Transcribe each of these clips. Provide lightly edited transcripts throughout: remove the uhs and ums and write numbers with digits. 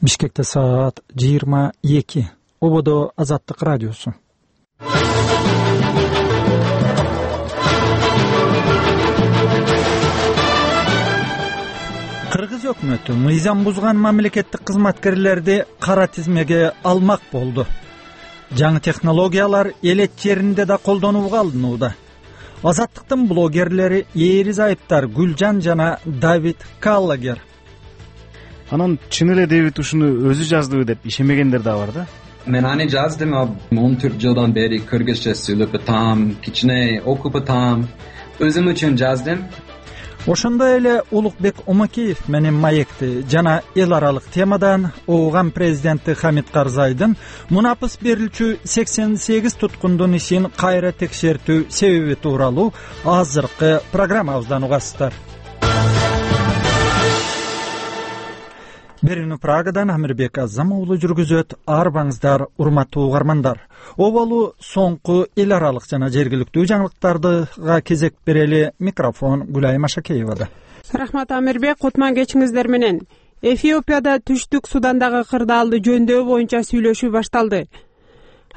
Бишкекте саат 22. Ободо Азаттык радиосу. Кыргыз өкмөтү мыйзам бузган мамлекеттик кызматкерлерди кара тизмеге алмак болду. Жаңы технологиялар элет жеринде да колдонууга алынууда. Азаттыктын блогерлери Эрис Айыптар Гүлжан жана Давид Каллагер. Анан чын эле Дэвид ушуну өзү жаздыбы деп ишенбегендер да бар да. Мен аны жаздым, 14 жылдан бери кыргызча сүйлөп атам, кичине окуп атам. Өзүм үчүн жаздым. Ошондой эле Улукбек Омакеев менен маекти жана эл аралык темадан Ооган президенти Хамит Карзайдын мунапыс берилчү 88 туткундун ишин кайра текшертүү себеби тууралуу азыркы программабыздан угасыздар. Берүүнү Прагадан Амирбек Азам уулу жүргүзөт. Арбаңыздар, урматтуу угармандар. Оболу соңку эл аралык жана жергиликтүү жаңылыктарга кезек берели. Микрофон Гүлай Машакеевада. Рахмат Амирбек, кутман кечиңиздер менен. Эфиопияда Түштүк Судандагы кырдаалды жөндөө боюнча сүйлөшүү башталды.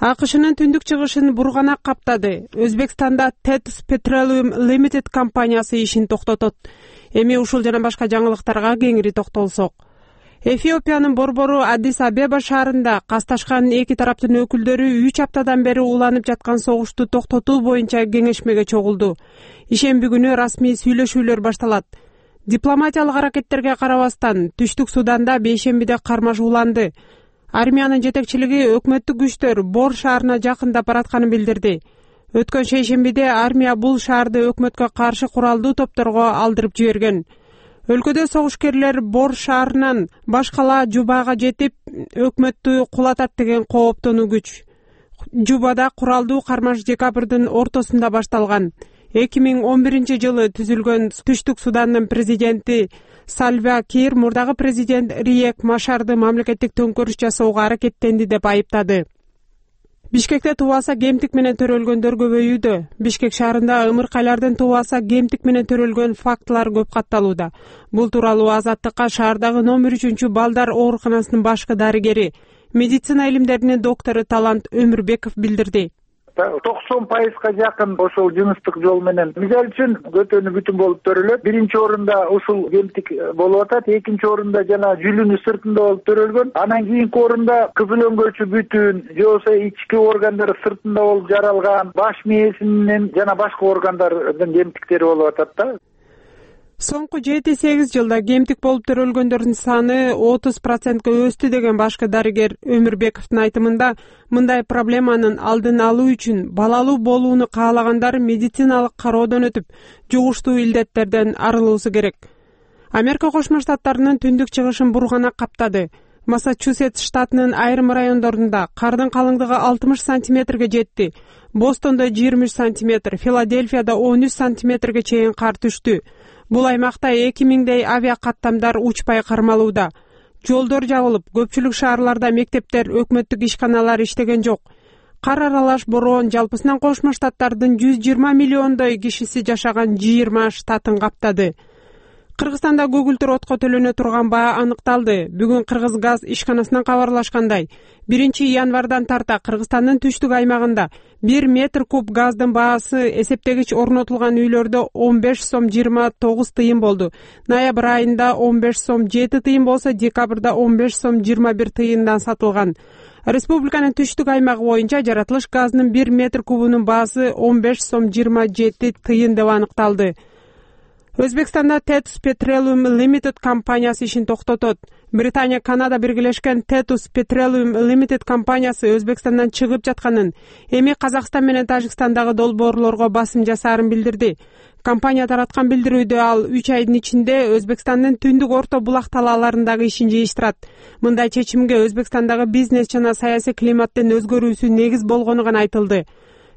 АКШнын түндүк чыгышын бурганак каптады. Өзбекстанда Tetus Petroleum Limited компаниясы ишин токтотот. Эми ушул жана башка жаңылыктарга кеңири токтолсок. Эфиопиянын борбору Аддис Абеба шаарында касташкан эки тараптын өкүлдөрү 3 аптадан бери уланып жаткан согушту токтотуу боюнча кеңешмеге чогулду. Ишемби күнү расмий сүйлөшүүлөр башталат. Дипломатиялык аракеттерге карабастан Түштүк Суданда бейшембиде кармаш уланды. Армиянын жетекчилиги өкмөттүк күчтөр Бор шаарына жакындап баратканын билдирди. Өткөн шейшембиде армия бул шаарды өкмөткө каршы куралдуу топторго алдырып жиберген. Өлкөдө согушкерлер Бор шаарынан башкала Жубага жетип, өкмөттү кулатат деген кооптонуу күч. Жубада куралдуу кармаш декабрдын ортосунда башталган. 2011 жылы түзүлгөн Түштүк Судандын президенти Сальва Кир мурдагы президент Риек Машарды мамлекеттик төңкөрүш жасоого аракеттенди деп айыптады. Бишкекте тубаса кемтик менен төрөлгөндөр көбөйүүдө. Бишкек шаарында ымыркайлардын тубаса кемтик менен төрөлгөн фактылар көп катталууда. Бул тууралуу Азаттыкка шаардагы номер 3 балдар ооруканасынын башкы дарыгери, медицина илимдеринин доктору Талант Өмүрбеков билдирди. 90% жакын ошол жыныстык жол менен мисалы үчүн көтөнү бүтүн болуп төрөлөт. Биринчи орунда ушул кемтик болуп атат, экинчи орунда жана жүлүнү сыртында болуп төрөлгөн. Анан кийинки орунда кызыл өңгөчү бүтүн, же болбосо ички органдар сыртында болуп жаралган, баш мээсинин жана башка органдардын кемтиктери болуп атат да. Соңку 7-8 жылда кемтик болуп төрөлгөндөрдүн саны 30%га өстү деген башкы дарыгер Өмүрбековдун айтымында, мындай проблеманын алдын алуу үчүн балалуу болууну каалагандар медициналык кароодон өтүп, жугуштуу илдеттерден арылуусу керек. Америка Кошмо Штаттарынын түндүк чыгышын бурганак каптады. Массачусетс штатынын айрым райондорунда кардын калыңдыгы 60 сантиметрге жетти. Бостондо 23 сантиметр, Филадельфияда 13 сантиметрге чейин кар түштү. Бул аймакта 2000дей авиа каттамдар учпай кармалууда. Жолдор жабылып, көпчүлүк шаарларда мектептер, өкмөттүк ишканалар иштеген жок. Кар аралаш бороон жалпысынан Кошмо Штаттардын 120 миллиондой кишиси жашаган 20 штатын каптады. Кыргызстанда көгүлтүр отко төлөнө турган баа аныкталды. Бүгүн Кыргыз газ ишканасынан кабарлашкандай, 1 январдан тарта Кыргызстандын түштүк аймагында 1 метр куб газдын баасы эсептегич орнотулган үйлөрдө 15 сом 29 тыйын болду. Ноябрь айында 15 сом 7 тыйын болсо, декабрда 15 сом 21 тыйындан сатылган. Республиканын түштүк аймагы боюнча жаратылыш газынын 1 метр кубунун баасы 15 сом 27 тыйын деп аныкталды. Өзбекстанда Tetus Petroleum Limited компаниясы ишин токтотот. Британия, Канада биргелешкен Tetus Petroleum Limited компаниясы Өзбекстандан чыгып жатканын, эми Казакстан менен Тажикстандагы долбоорлорго басым жасаарын билдирди. Компания тараткан билдирүүдө ал 3 айдын ичинде Өзбекстандын түндүк орто булак талааларындагы ишин жыйыштырат. Мындай чечимге Өзбекстандагы бизнес жана саясий климаттын өзгөрүүсү негиз болгону гана айтылды.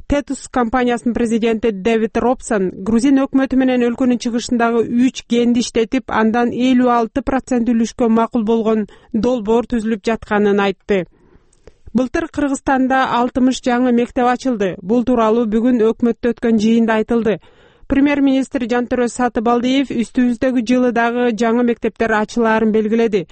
Tetus компаниясынын президенти Дэвид Робсон Грузин өкмөтү менен өлкөнүн чыгышындагы 3 кенди иштетип, андан 56% үлүшкө макул болгон долбоор түзүлүп жатканын айтты. Былтыр Кыргызстанда 60 жаңы мектеп ачылды. Бул тууралуу бүгүн өкмөттө өткөн жыйында айтылды. Премьер-министр Жантөрө Сатыбалдиев үстүбүздөгү жылы дагы жаңы мектептер ачылаарын белгиледи.